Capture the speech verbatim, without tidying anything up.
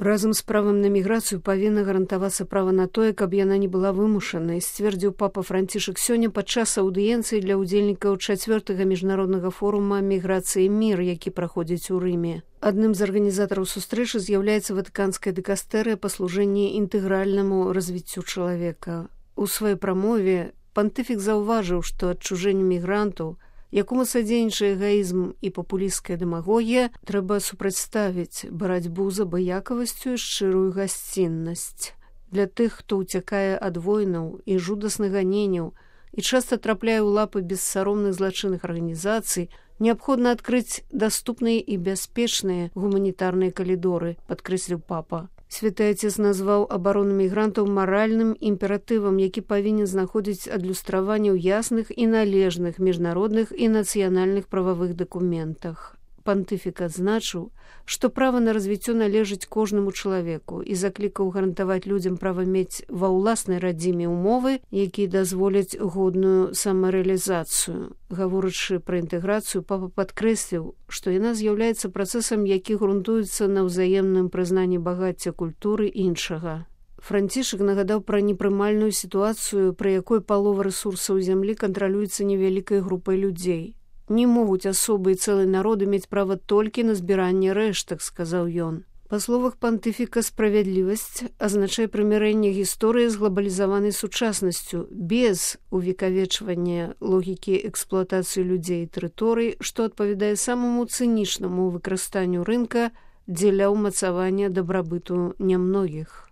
Разам з правам на міграцыю павінна гарантавацца права на тое, каб яна не была вымушанай, сцвердзіў папа Францішак сёння падчас аўдыенцыі для ўдзельнікаў чацвёртага міжнароднага форума «Міграцыя і мір», які праходзіць у Рыме. Адным з арганізатараў сустрэчы з'яўляецца ватыканская дыкастэрыя па служэнні інтэгральнаму развіццю чалавека. У сваёй прамове пантыфік заўважыў, што адчужэнню мігрантаў, якому садзейнічае эгоізм і папулісцкая дэмагогія, трэба супрацьставіць барацьбу з абыякавасцю і шчырую гасціннасць. Для тых, хто ўцякае ад войнаў і жудасных ганенняў і часта трапляе ў лапы бессаромных злачынных арганізацый, неабходна адкрыць даступныя і бяспечныя гуманітарныя калідоры, падкрэсліў папа. Святы Отец назваў абарону мігрантаў маральным імператывам, які павінен знаходзіць адлюстраванне ў ясных і належных міжнародных і нацыянальных прававых дакументах. Пантыфік адзначыў, што права на развіццё належыць кожнаму чалавеку і заклікаў гарантаваць людзям права мець ва ўласнай радзіме ўмовы, якія дазволяць годную самарэалізацыю. Гаворачы пра інтэграцыю, папа падкрэсліў, што яна з'яўляецца працэсам, які грунтуецца на ўзаемным прызнанні багацця культуры іншага. Францішак нагадаў пра непрымальную сітуацыю, пры якой палова рэсурсаў зямлі кантралюецца невялікай групай людзей. Не могуць асобы і цэлыя народы мець права толькі на збіранне рэштак, сказаў ён. Па словах пантыфіка, справядлівасць азначае прымірэнне гісторыі з глабалізаванай сучаснасцю, без увекавечвання логікі эксплуатацыі людзей і тэрыторый, што адпавядае самаму цынічнаму выкарыстанню рынка дзеля ўмацавання дабрабыту нямногіх.